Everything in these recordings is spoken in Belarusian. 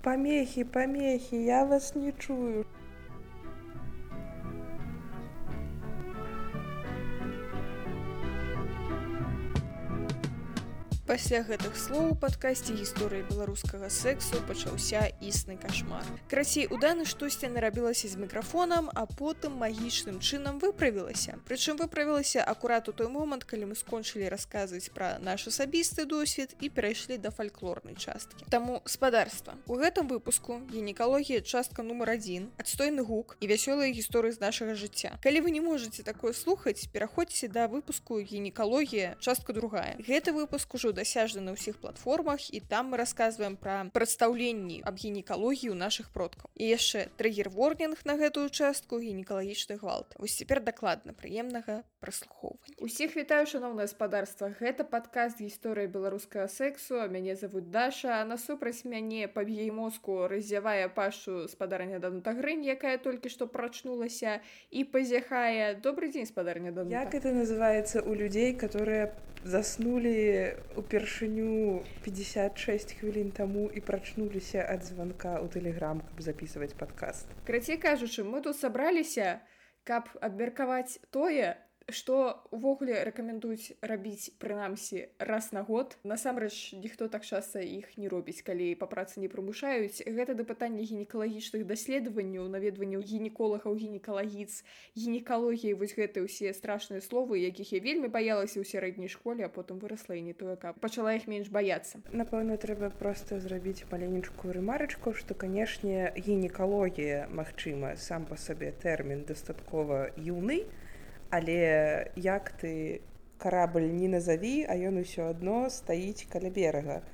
Помехи, я вас не чую. Пасля гэтых слоў у падкасці гісторыі беларускага сексу пачаўся існы кашмар. Крацей, у Даны штосьці нарабілася з мікрафонам, а потым магічным чынам выправілася. Прычым выправілася акурат у той момант, калі мы скончылі расказваць пра наш асабісты досвед і перайшлі да фальклорнай часткі. Таму, спадарства, у гэтым выпуску гінекалогія частка нумар 1, адстойны гук і вясёлыя гісторыі з нашага жыцця. Калі вы не можаце такое слухаць, пераходзьце да выпуску гінекалогія частка 2. Гэты выпуск ужо дасяжны на ўсіх платформах, і там мы расказваем пра прадстаўленні аб гінекалогіі ў нашых продкаў. І яшчэ трыгер-ворнінг на гэтую частку гінекалагічны гвалт. Вось цяпер дакладна, прыемнага праслухоўвання. Усіх вітаю, шаноўнае спадарства. Гэта падкаст гісторыі беларускага сексу, а мяне завуць Даша, а насупраць мяне па яе мозку раззявае пашу спадарня Данута Грынь, якая толькі што прачнулася і пазяхае. Добрый дзень, спадарня Данута. Як это называется у людей, которые заснули упершыню 56 хвілін таму і прачнуліся ад званка ў тэлеграм, каб записываць падкаст? Крацей кажучы, мы тут сабраліся, каб абмеркаваць тое, што увогуле рэкамендуюць рабіць прынамсі раз на год. Насамрэч, ніхто так часта іх не робіць, калі па працы не прымушаюць. Гэта да пытання гінекалагічных даследаванняў, наведванняў гінеколагаў, гінекалагіц, гінекалогіі, вось гэтыя ўсе страшныя словы, якіх я вельмі баялася ў сярэдняй школе, а потым вырасла і не тое, каб пачала іх менш баяцца. Напэўна, трэба проста зрабіць маленечкую рэмарачку, што, канешне, гінекалогія, магчыма, сам па сабе тэрмін дастаткова юны, але як ты карабль не назаві, а ён усё адно стаіць каля берага.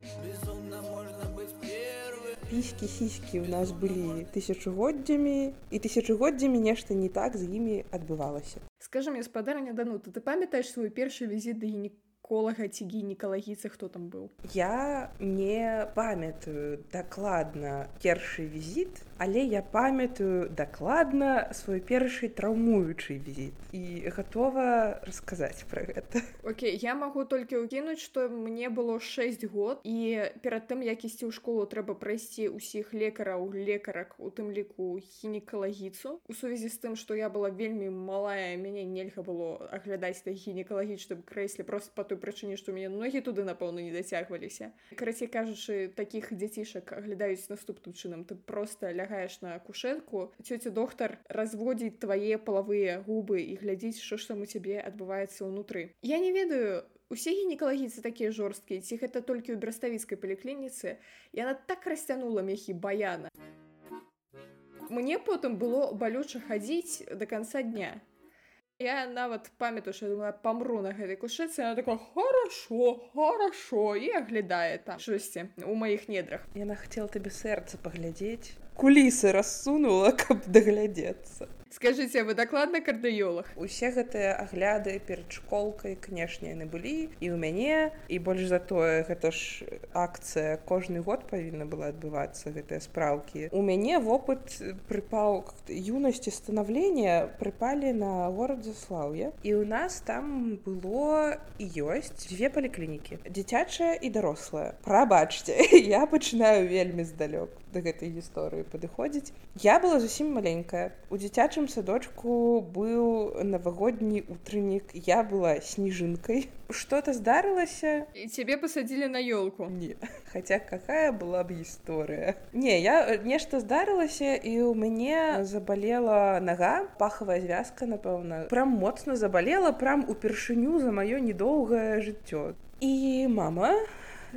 Піські-сіські ў нас былі тысячагоддзямі, і тысячагоддзямі нешта не так з імі адбывалася. Скажы мне, спадарня Данута, ты памятаеш свой першы візіт да гінеколага ці гінекалагіцы, хто там быў? Я не памятаю дакладна першы візіт, але я памятаю дакладна свой першы траўмуючы візіт і гатова расказаць пра гэта. Окей, я магу толькі ўкінуць, што мне было 6 год, і перад тым, як ісці ў школу, трэба прайсці ўсіх лекараў, лекарак, у тым ліку гінекалагіцу. У сувязі з тым, што я была вельмі малая, мяне нельга было аглядаць на гінекалагічным крэсле проста па той прычыне, што мяне ногі туды, напэўна, не дацягваліся. Карацей кажучы, такіх дзяцішак аглядаюць наступным чынам. Ты проста лягаеш на кушетку, цёця доктар разводзіць твае палавыя губы і глядзіць, што ж там у цябе адбываецца ўнутры. Я не ведаю, усе гінекалагіцы такія жорсткія, ці гэта толькі ў браставіцкай паліклініцы. Яна так расцянула мехі баяна. Мне потым было балюча хадзіць да канца дня. Я нават памятаю, што я думала, памру на гэтай кушетцы, она такая, хорошо, і аглядае там штосьці у маіх недрах. Яна хацела табе сэрца паглядзець, кулісы рассунула, каб даглядзецца. Скажыце, вы дакладна кардыёлаг? Усе гэтыя агляды перад школкай, канешне, яны былі і ў мяне, і больш за тое, гэта ж акцыя кожны год павінна была адбывацца, гэтыя спраўкі. У мяне вопыт прыпаў юнасці станаўлення прыпалі на горад Заслаўе, і ў нас там было і ёсць 2 паліклінікі, дзіцячая і дарослая. Прабачце, я пачынаю вельмі здалёк да гэтай гісторыі падыходзіць. Я была зусім маленькая. У дзіцячым садочку быў навагодні утреннік, я была снежинкой. Что-то здарылася. І цябе пасадзілі на ёлку? Не. Хаця какая была б гісторыя. Не, нешта здарылася, і ў мяне забалела нага, пахавая звязка, напэўна. Прям моцна забалела, прям упершыню за маё недоўгае жыццё. І мама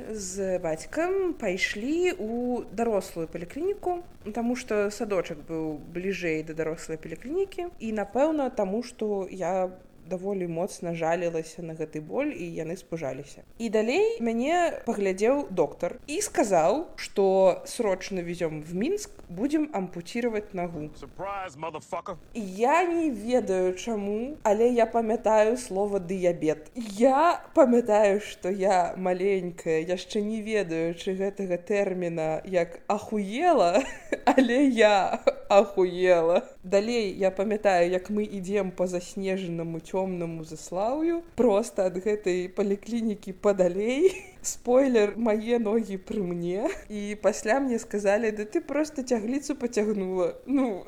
з бацькам пайшлі ў дарослую паліклініку, таму што садочак быў бліжэй да дарослай паліклінікі, і, напэўна, таму што я даволі моцна жалілася на гэты боль, і яны спужаліся. І далей мяне паглядзеў доктар і сказаў, што срочна везём в Мінск, будзем ампуцировать нагу. Surprise, motherfucker! Я не ведаю чаму, але я памятаю слова дыябет. Я памятаю, што я маленькая, яшчэ не ведаючы гэтага тэрміна як ахуела, але я ахуела. Далей я памятаю, як мы ідзем па заснежанаму цёмнаму Заслаўю, проста ад гэтай паліклінікі падалей. Спойлер, мае ногі пры мне. І пасля мне сказалі, да ты просто цягліцу пацягнула. Ну,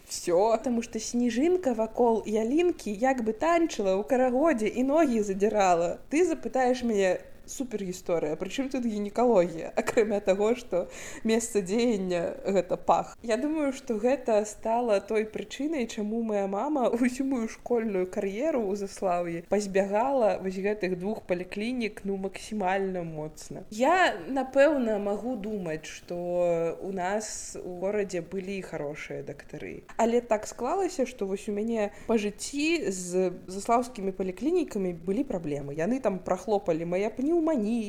всё. Таму што сніжынка вакол ялінкі як бы танчыла ў карагодзе і ногі задзірала. Ты запытаеш мяне, супер гісторыя, прычым тут гінекалогія, акрамя таго, што месца дзеяння гэта пах. Я думаю, што гэта стала той прычынай, чаму моя мама ўсю мою школьную кар'еру ў Заслаўі пазбягала вось гэтых двух паліклінік, ну, максімальна моцна. Я, напэўна, магу думаць, што у нас у горадзе былі хорошыя дактары. Але так склалася, што вось у мяне па жыцці з заслаўскімі паліклінікамі былі праблемы. Яны там прахлопалі мае пнеўманіі,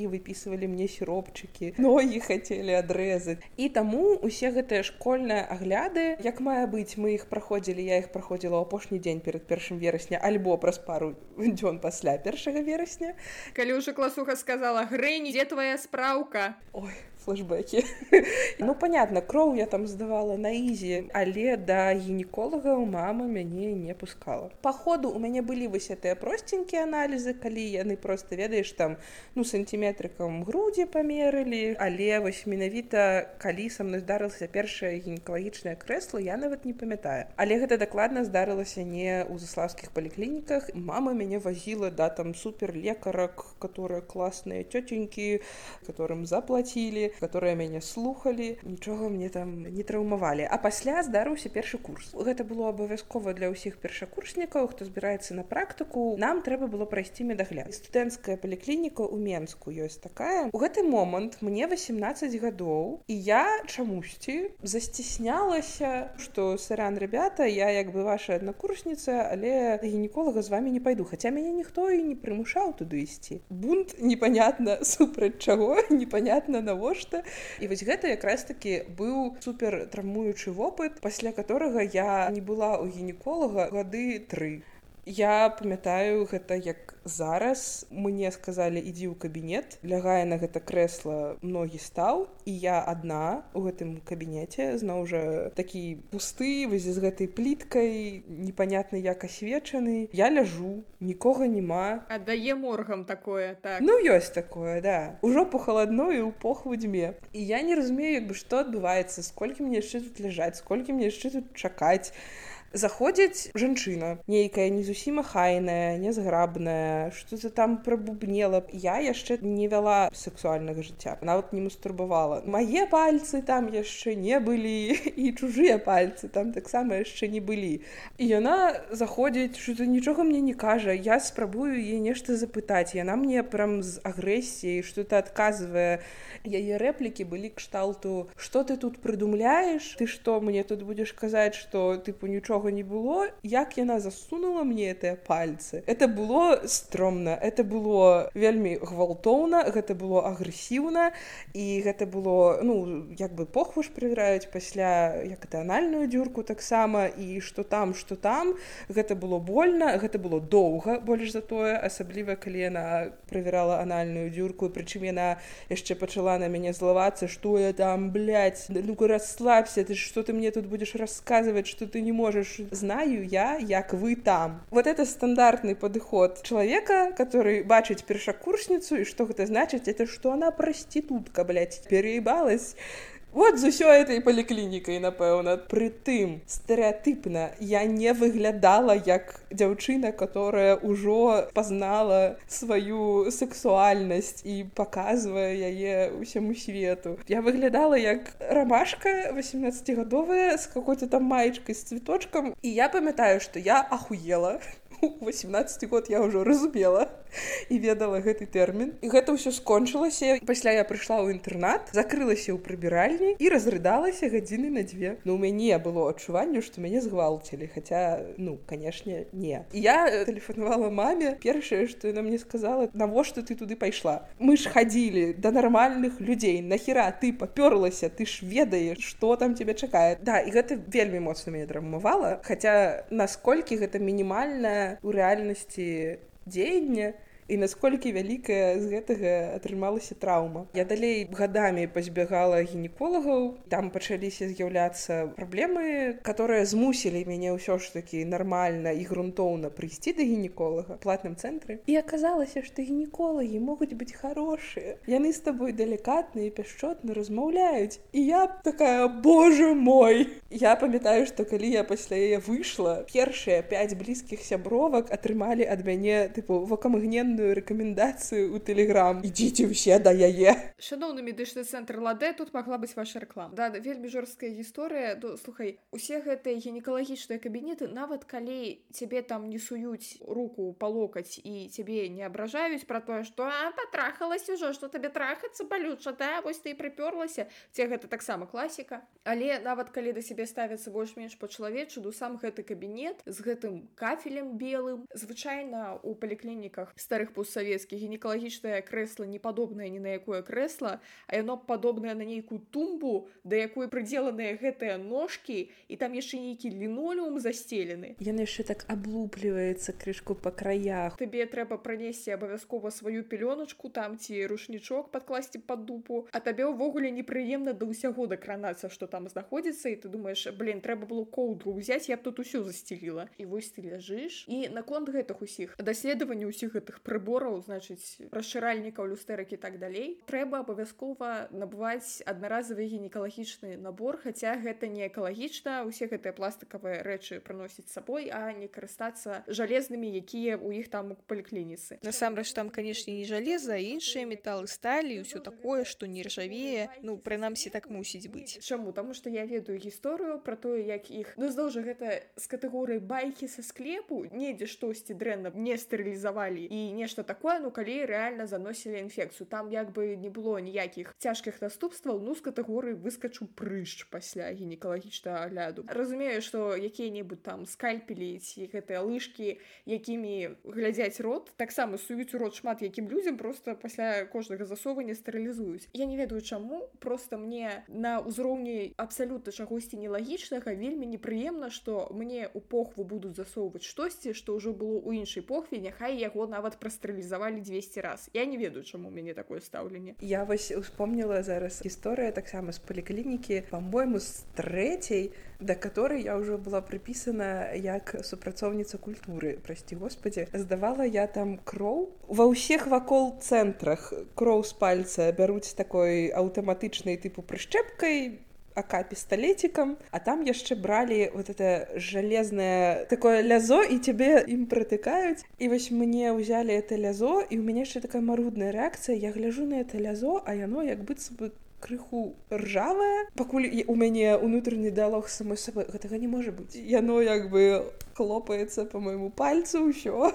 выпісывалі мне сіропчыкі, ногі хацелі адрэзаць. І таму усе гэтыя школьныя агляды, як мае быць, мы іх праходзілі, я іх праходзіла ў апошні дзень перад 1 верасня, альбо праз пару дзён пасля 1 верасня. Калі ўжо класуха сказала: «Грэнь, дзе твая спраўка?» Ой, флэшбэкі. Ну, понятно, кроў я там здавала на ізі, але да гінеколагаў мама мяне не пускала. Па ходу у мяне былі вось гэтыя просценькія аналізы, калі яны проста, ведаеш, там, ну, сантиметрыкам грудзі памерылі, але вось менавіта, калі са мной здарылася першае гінекалагічнае крэсла, я нават не памятаю. Але гэта дакладна здарылася не ў заслаўскіх паліклініках. Мама мяне вазіла да там суперлекарак, которые класныя тётенькі, которым заплатілі, которые мяне слухалі, нічога мне там не траўмавалі. А пасля здарыўся першы курс. Гэта было абавязкова для ўсіх першакурснікаў, хто збіраецца на практыку. Нам трэба было прайсці медагляд. Студэнцкая паліклініка ў Менску ёсць такая. У гэты момант мне 18 гадоў, і я чамусьці засціснялася, што сарян, ребята, я як бы ваша аднакурсніца, але да гінеколага з вамі не пайду. Хаця мяне ніхто і не прымушаў туды ісці. Бунт непонятна супраць чаго, непонятна навошта. І вось гэта якраз такі быў супер траўмуючы вопыт, пасля которага я не была ў гінеколага гады 3. Я памятаю гэта як зараз. Мне сказалі: ідзі ў кабінет, лягае на гэта крэсла, ногі стаў, і я адна ў гэтым кабінеце, зноў жа такі пусты, вось з гэтай пліткай, непонятна як асвечаны. Я ляжу, нікога няма. Аддае моргам такое, так. Ну, ёсць такое, да. Ужо пахаладно і ў похву дзьме. І я не разумею, як бы, што адбываецца, сколькі мне яшчэ тут ляжаць, сколькі мне яшчэ тут чакаць. Заходзіць жанчына, нейкая не зусім ахайная, нязграбная, што-то там прабубнела. Я яшчэ не вяла сексуальнага жыцця, нават не мастурбавала. Мае пальцы там яшчэ не былі, і чужыя пальцы там таксама яшчэ не былі. І яна заходзіць, што нічога мне не кажа, я спрабую яе нешта запытаць. Яна мне прям з агрэсіяй што-то адказвае. Яе рэплікі былі кшталту: «Што ты тут прыдумляеш? Ты што, мне тут будзеш казаць, што, тыпу, нічога не было?» Як яна засунула мне гэтыя пальцы. Это было стромна, это было вельмі гвалтоўна, гэта было агрэсіўна, і гэта было, ну, як бы похву ж правяраюць пасля, як это, анальную дзюрку таксама, і што там, гэта было больна, гэта было доўга, больш за тое, асабліва калі яна правярала анальную дзюрку, прычым яна яшчэ пачала на мяне злавацца, што я там, блядь, ну-ка расслабься, ты што ты мне тут будешь расказваць, што ты не можаш. Знаю я, як вы там. Вот это стандартный подход человека, который бачыць першакурсніцу, и что это значит? Это что она проститутка, блядь, переебалась. Вот з усёй этой паліклінікай, напэўна. Прытым, стэрэатыпна, я не выглядала як дзяўчына, которая ўжо пазнала сваю сексуальнасць і паказвае яе ўсяму свету. Я выглядала як рамашка 18-гадовая з какой-то там маечкай з цветочкам. І я памятаю, што я ахуела. 18 год я ўжо разумела і ведала гэты тэрмін. І гэта ўсё скончылася. Пасля я прыйшла ў інтэрнат, закрылася ў прыбіральні і разрыдалася гадзіны на 2. Ну, у мяне было адчуванне, што мяне згвалцілі, хаця, ну, канешне, не. І я тэлефанавала маме. Першае, што яна мне сказала: «Навошта ты туды пайшла? Мы ж хадзілі да нармальных людзей. Нахера ты папёрлася? Ты ж ведаеш, што там цябе чакае». Да, і гэта вельмі моцна мяне траўмавала, хаця насколькі гэта мінімальна у рэальнасці дзеяння, і насколькі вялікая з гэтага атрымалася траўма. Я далей гадамі пазбягала гінеколагаў, там пачаліся з'яўляцца праблемы, которые змусілі мяне ўсё ж такі нармальна і грунтоўна прыйсці да гінеколага в платным цэнтры. І аказалася, што гінеколагі могуць быць хорошыя. Яны з табой далікатна і пяшчотна размаўляюць. І я такая, боже мой! Я памятаю, што калі я пасля яе выйшла, першыя 5 блізкіх сябровак атрымалі ад мяне тыпу вакамгненную рэкамендацыю ў Telegram. Ідзіце ўсе да яе. Шановны медычны цэнтр Ладе, тут магла быць ваша рэклама. Да, вельмі жорсткая гісторыя. Слухай, усе гэтыя гінекалагічныя кабінеты, нават калі цябе там не суюць руку па локаць і цябе не абражаюць пра тое, што патрахалась ужо, што табе трахацца балюча, да, вось ты і прыпёрлася. Ці гэта таксама класіка. Але нават калі да сябе ставяцца больш-менш па-чалавечу, сам гэты кабінет з гэтым кафелем белым. Звычайна у паліклініках старых постсавецкіх гінекалагічнае крэсла не падобнае ні на якое крэсла, а яно падобнае на нейкую тумбу, да якой прыдзеленыя гэтыя ножкі, і там яшчэ нейкі лінолеум застелены. Яны яшчэ так аблупліваецца крышку па краях. Табе трэба пранесці абавязкова сваю пялёначку там ці рушнічок падкласці пад дупу, а табе ўвогуле непрыемна да ўсяго дакранацца, што там знаходзіцца, і ты думаеш, трэба было коўдру ўзяць, я б тут усё засцеліла. І вось ты ляжыш. І наконт гэтых усіх даследаванняў усіх гэтых прыбораў, значыць, расшыральнікаў, люстэрак і так далей, трэба абавязкова набываць аднаразовы гінекалагічны набор, хаця гэта не экалагічна, усе гэтыя пластыкавыя рэчы прыносіць з сабой, а не карыстацца жалезнымі, якія ў іх там у паліклініцы. Насамрэч там, канешне, не жалеза, а іншыя металы, сталі і ўсё такое, што не ржавее, прынамсі так мусіць быць. Чаму? Таму што я ведаю гісторыю пра тое, як іх, зноў жа, гэта з катэгорыі байкі са склепу, недзе штосьці дрэнна не стэрылізавалі і нешта такое, калі рэальна заносілі інфекцыю. Там як бы не было ніякіх цяжкіх наступстваў, з катэгорыі выскачу прыщ пасля гінекалагічнага агляду. Разумею, што якія-небудзь там скальпелі ці гэтыя лыжкі, якімі глядзяць рот, таксама суюць у рот шмат якім людзям, просто пасля кожнага засовання стэрылізуюць. Я не ведаю чаму, просто мне на ўзроўні абсалютна чагосьці нелагічнага вельмі непрыемна, што мне ў похву будуць засоўваць штосьці, што ўжо было ў іншай похве, няхай яго нават прастэрылізавалі 200 раз. Я не ведаю, чаму у мяне такое стаўленне. Я вось успомніла зараз гісторыя таксама з паліклінікі, па-мойму, з 3-й, да которой я ўжо была прыпісана як супрацоўніца культуры, прасці господі. Здавала я там кроў. Ва ўсіх вакол цэнтрах кроў з пальца бяруць такой аўтаматычнай тыпу прышчэпкай, АК-пісталетиком, а там яшчэ бралі вот это железное такое лязо, і тебе ім протыкаюць. І вось мне ўзялі это лязо, і у мяне яшчэ такая марудная рэакцыя. Я гляжу на это лязо, а яно як быццам бы крыху ржавае. Пакуль у мяне унутраны дыалог з самой сабой, гэтага не можа быць. Яно як бы хлопаецца по майму пальцу, ўсё.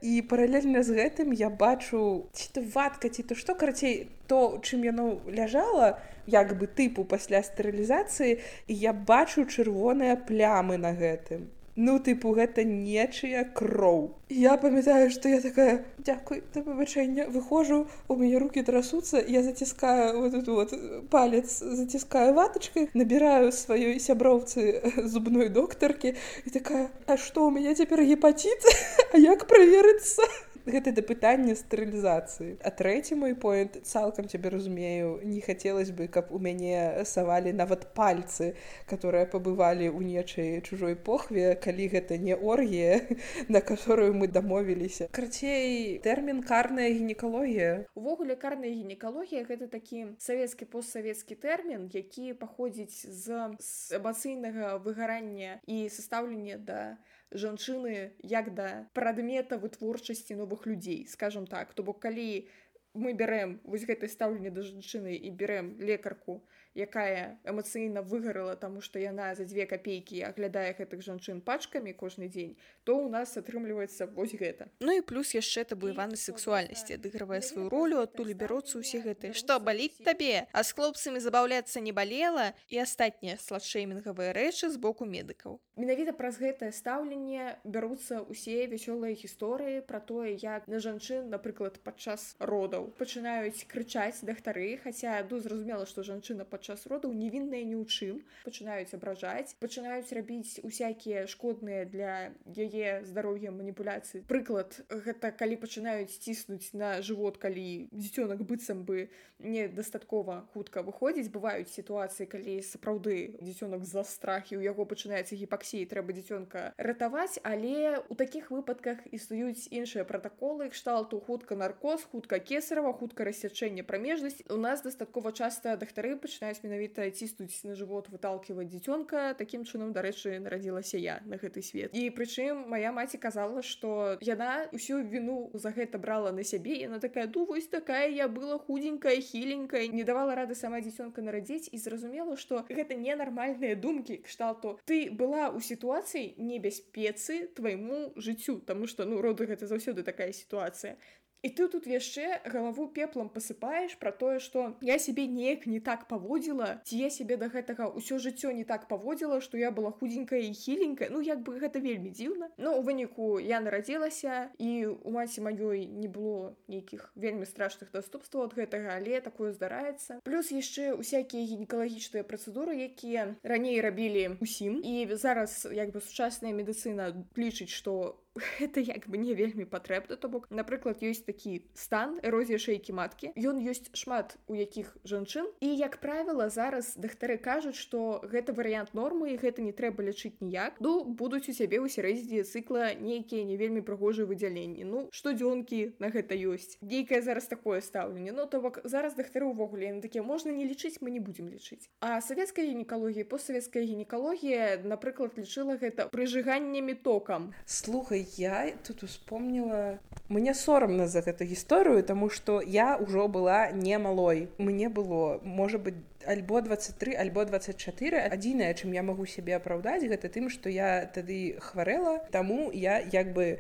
І паралельна з гэтым я бачу, ці то ватка, ці то што, карацей, то, чым яно ляжала, як бы тыпу пасля стэрылізацыі, і я бачу чырвоныя плямы на гэтым. Тыпу, гэта нечыя кроў. Я памятаю, што я такая, дзякуй, да выбачэння, выхожу, у мяне рукі трасуцца, я заціскаю вот эту вот палец, заціскаю ватачкай, набіраю сваёй сяброўцы зубной доктаркі, і такая, а што, у мяне цяпер гепатит? А як праверыцца? Гэта да пытання стэрылізацыі. А 3-й мой поінт, цалкам цябе разумею, не хацелось бы, каб у мяне савалі нават пальцы, которые пабывалі ў нечай чужой похве, калі гэта не оргія, на которую мы дамовіліся. Карацей, тэрмін карная гінекалогія. Увогуле, карная гінекалогія — гэта такі савецкі постсавецкі тэрмін, які паходзіць з эмацыйнага выгарання і састаўлення да жанчыны як да прадмета вытворчасці новых людзей, скажем так. То бок, калі мы бярэм вось гэтае стаўленне да жанчыны і бярэм лекарку, якая эмацыйна выгарала, таму што яна за 2 капейкі аглядае гэтых жанчын пачкамі кожны дзень, то ў нас атрымліваецца вось гэта. І плюс яшчэ табуяванасць сексуальнасці адыгрывае сваю ролю, адтуль бяруцца ўсе гэтыя «што, баліць табе?», а з хлопцамі забаўляцца не балела, і астатнія сладшэймінгавыя рэчы з боку медыкаў. Менавіта праз гэтае стаўленне бяруцца ўсе вясёлыя гісторыі пра тое, як на жанчын, напрыклад, падчас родаў пачынаюць крычаць дактары, хаця зразумела, што жанчына падчас падчас родаў невінныя ні ў чым, пачынаюць абражаць, пачынаюць рабіць усякія шкодныя для яе здароўя маніпуляцыі. Прыклад, гэта калі пачынаюць ціснуць на жывот, калі дзіцёнак быццам бы недастаткова хутка выходзіць. Бываюць сітуацыі, калі сапраўды дзіцёнак з-за страхі, у яго пачынаецца гіпаксія, трэба дзіцёнка ратаваць, але ў такіх выпадках існуюць іншыя пратаколы, кшталту хутка наркоз, хутка кесарева, хутка рассячэнне прамежнасці. У нас дастаткова часта дактары пачынаюць менавіта ціснуць на жывот, выталківаць дзіцёнка. Такім чынам, дарэчы, нарадзілася я на гэты свет. І прычым мая маці казала, што яна ўсю віну за гэта брала на сябе. Яна такая: вось такая я была худенькая, хіленькая, не давала рады сама дзіцёнка нарадзіць, і зразумела, што гэта ненармальныя думкі кшталту. Ты была ў сітуацыі небяспецы твайму жыццю, таму што роды гэта заўсёды такая сітуацыя. І ты тут яшчэ галаву пеплам пасыпаеш пра тое, што я сябе неяк не так паводзіла, ці я сябе да гэтага ўсё жыццё не так паводзіла, што я была худенькая і хіленькая. Як бы гэта вельмі дзіўна. У выніку я нарадзілася, і у маці маёй не было нейкіх вельмі страшных наступстваў ад гэтага, але такое здараецца. Плюс яшчэ усякія гінекалагічныя працэдуры, якія раней рабілі усім, і зараз сучасная медыцына лічыць, што гэта не вельмі патрэбна. То бок, напрыклад, ёсць такі стан эрозія шэйкі маткі. Ён ёсць шмат у якіх жанчын, і, як правіла, зараз дактары кажуць, што гэта варыянт нормы, і гэта не трэба лячыць ніяк. Будуць у цябе ў сярэдзіне цыкла нейкія не вельмі прыгожыя выдзяленні. Штодзёнкі на гэта ёсць. Нейкае зараз такое стаўленне. То бок, зараз дактары ўвогуле такія: можна не лічыць, мы не будзем лічыць. А савецкая гінекалогія, постсавецкая гінекалогія, напрыклад, лічыла гэта прыжыганнямі токам. Слухай, я тут успомнила, мне соромно за эту гісторыю, тому што я ўжо была не малой. Мне было, можа быць, альбо 23, альбо 24. Адзінае, чым я магу сябе апраўдаць, гэта тым, што я тады хварэла, таму я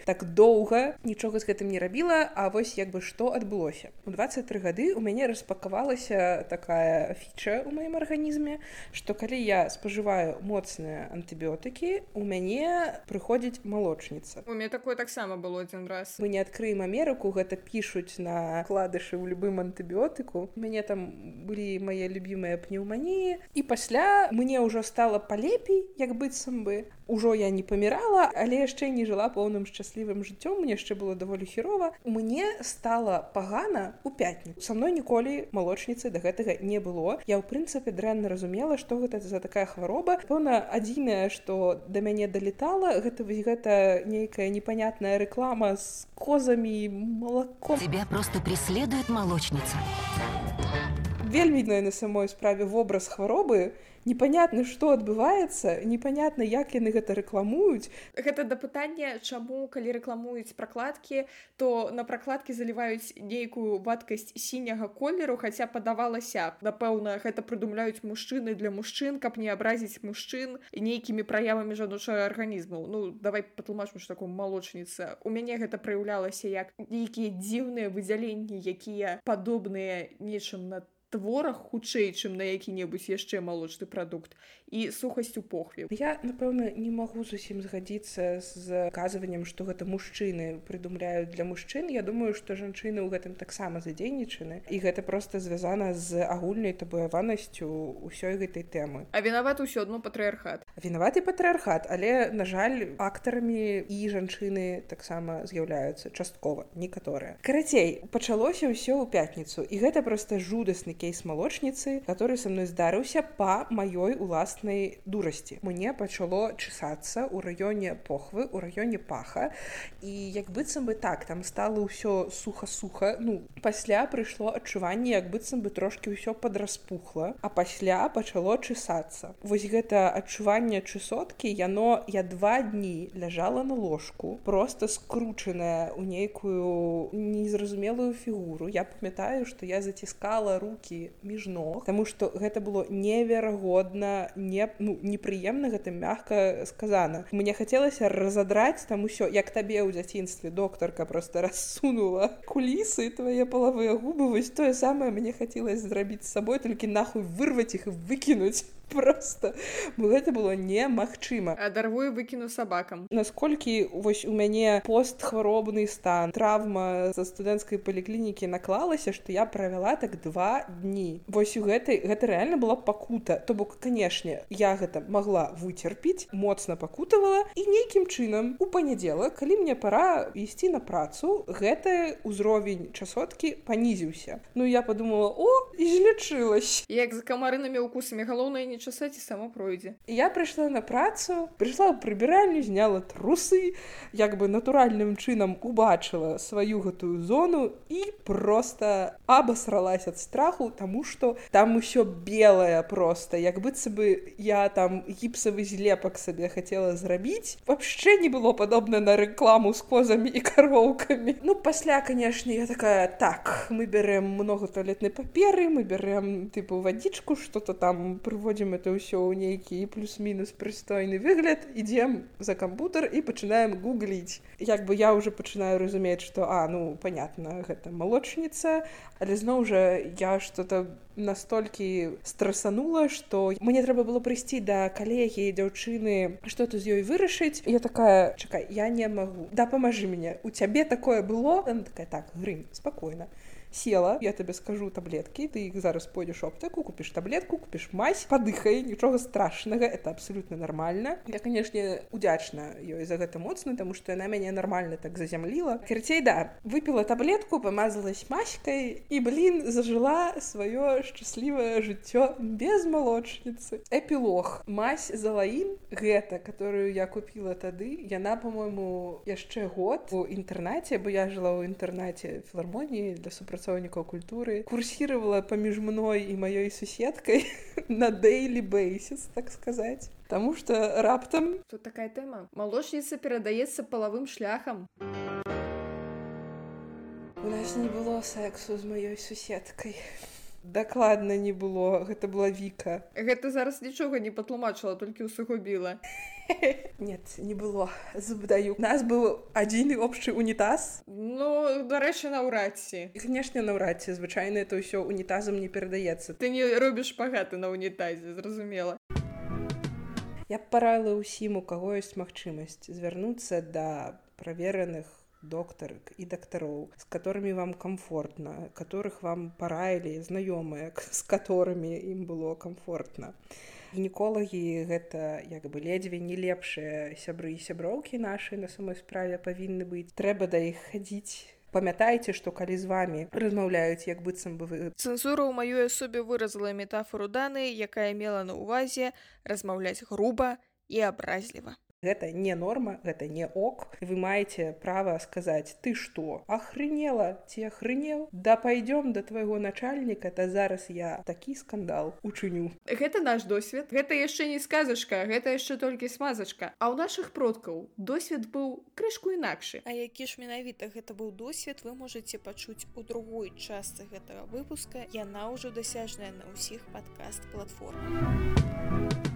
так доўга нічога з гэтым не рабіла. А вось што адбылося. У 23 гады у мяне распакавалася такая фіча ў маім арганізме, што калі я спажываю моцныя антыбіотыкі, у мяне прыходзіць малочніца. У мяне такое таксама было адзін раз. Мы не адкрыем Амерыку, гэта пішуць на вкладышы ў любым антыбіотыку. У мяне там былі мае любімыя пнеўманіі, і пасля мне ўжо стала палепей, як быццам бы. Ужо я не памірала, але яшчэ не жыла поўным шчаслівым жыццём, мне яшчэ было даволі хірова. Мне стала пагана ў пятніцу. Са мной ніколі малочніцы да гэтага не было. Я, ў прынцыпе, дрэнна разумела, што гэта за такая хвароба. Пэўна, адзінае, што да мяне далетала, гэта нейкая непонятная реклама с козами и молоком. Тебя просто преследует молочница. Вельмі на самой справе вобраз хваробы. Непонятна, што адбываецца, непонятна, як яны гэта рэкламуюць. Гэта да пытання, чаму, калі рэкламуюць пракладкі, то на пракладкі заліваюць нейкую вадкасць сіняга колеру, хаця падавалася, напэўна, гэта прыдумляюць мужчыны для мужчын, каб не абразіць мужчын нейкімі праявамі жаночага арганізму. Давай патлумачым, што такое малочніца. У мяне гэта праяўлялася як нейкія дзіўныя выдзяленні, якія падобныя нечым на творах хутчэй, чым на які-небудзь яшчэ малочны прадукт, і сухасць у похве. Я, напэўна, не магу зусім згадзіцца з казваннем, што гэта мужчыны прыдумляюць для мужчын. Я думаю, што жанчыны ў гэтым таксама задзейнічаны, і гэта проста звязана з агульнай табуяванасцю ўсёй гэтай тэмы. А вінаваты ўсё адно патрыархат. Вінаваты патрыархат, але, на жаль, актарамі і жанчыны таксама з'яўляюцца часткова, некаторыя. Карацей, пачалося ўсё ў пятніцу, і гэта проста жудасны кейс малочніцы, который со мной здарыўся па маёй уласнай дурасці. Мне пачало чесацца ў раёне похвы, у раёне паха, і як быццам бы так, там стало ўсё суха-суха. Пасля прыйшло адчуванне, як быццам бы трошки ўсё падраспухла, а пасля пачало чесацца. Вось гэта адчуванне чесоткі, я 2 дні ляжала на ложку, просто скручаная ў нейкую незразумелую фігуру. Я памятаю, што я заціскала рукі між ног, таму што гэта было неверагодна, непрыемна, гэта мякка сказана. Мне хацелася разадраць там усё, як табе ў дзяцінстве доктарка просто рассунула кулісы, твае палавыя губы, вось тое самае мне хацелася зрабіць з сабой, толькі нахуй вырваць іх і выкінуць. Просто гэта было немагчыма. Адарву і выкіну сабакам. Насколькі вось у мяне постхваробны стан, траўма са студэнцкай паліклінікі наклалася, што я правяла так 2 дні. Вось гэта рэальна была пакута. То бок, канешне, я гэта магла выцерпіць, моцна пакутавала, і нейкім чынам у панядзелак, калі мне пара ісці на працу, гэты ўзровень часоткі панізіўся. Ну, я подумала, излечилась. Як за камарынымі укусамі, галоўнае не часаць і само пройдзе. Я прыйшла на працу, прыйшла ў прыбіральню, зняла трусы, як бы натуральным чынам убачыла сваю гэтую зону і просто абасралась ад страху, таму што там усё белае просто, як быццам бы я там гіпсавы злепак сабе хацела зрабіць. Вообще не было падобна на рэкламу з козамі і кароўкамі. Ну, пасля, конечно, я такая, так, мы берем много туалетной паперы, мы берем, типу, водичку, что-то там, прыводзім это ўсё ў нейкі плюс-мінус прыстойны выгляд, ідзем за кампутер і пачынаем гугліць. Як бы я уже пачынаю разумець, што, ну, понятно, гэта малочніца, але зноў жа я что-то настолькі страсанула, што мне трэба было прыйсці да калегі, дзяўчыны, што-то з ёй вырашыць. Я такая, чакай, я не магу. Да, памажы мне. У цябе такое было? Она такая, так, Грым, спакойна. Села, я тебе скажу таблетки, ты их зараз пойдешь в аптеку, купишь таблетку, купишь мазь, подыхай, нічога страшнага, это абсолютно нормально. Я, конечно, удзячна ёй за гэта моцна, потому что она мяне нормально так зазямліла. Карацей, да, выпила таблетку, помазалась маськой и, зажила свое счастливое жыццё без молочницы. Эпилог. Мазь Залаін, гэта, которую я купила тады, яна, по-моему, яшчэ год у інтэрнаце, бо я жила ў інтэрнаце філармоніі для супрацоўнікаў культуры, курсировала паміж мной і маёй суседкай на daily basis, так сказать. Потому что раптам... Тут такая тэма. Малочніца перадаецца палавым шляхам. У нас не было сексу з маёй суседкай. Дакладна не было, гэта была Віка. Гэта зараз нічога не патлумачыла, толькі усугубіла. Нет, не было, забдаю. У нас быў адзін общий унітаз. Ну, дарэчы, наўрад ці. Канешне, наўрад ці, звычайна это ўсё унітазам не перадаецца. Ты не робіш шпагаты на унітазе, зразумела. Я б параіла ўсім, у каго ёсць магчымасць звярнуцца да правераных доктарак і дактароў, з которыми вам комфортно, которых вам параілі знаёмыя, з которыми ім было комфортно. Гінеколагі гэта як бы ледзьве не лепшыя сябры і сяброўкі нашы на самой справе павінны быць. Трэба да іх хадзіць. Памятайце, што калі з вамі размаўляюць, як быццам бы вы... Цэнзура ў маёй асобе выразала метафору Даны, якая мела на ўвазе размаўляць груба і абразліва. Гэта не норма, гэта не ок. Вы маеце права сказаць, ты што, охренела, ці охренел? Да пойдём да твайго начальніка, та зараз я такі скандал учыню. Гэта наш досвед. Гэта яшчэ не сказачка, гэта яшчэ толькі смазачка. А ў нашых продкаў досвед быў крышку інакшы. А які ж менавіта гэта быў досвед, вы можаце пачуць у другой частцы гэтага выпуска. Яна ўжо дасяжная на ўсіх падкаст-платформах.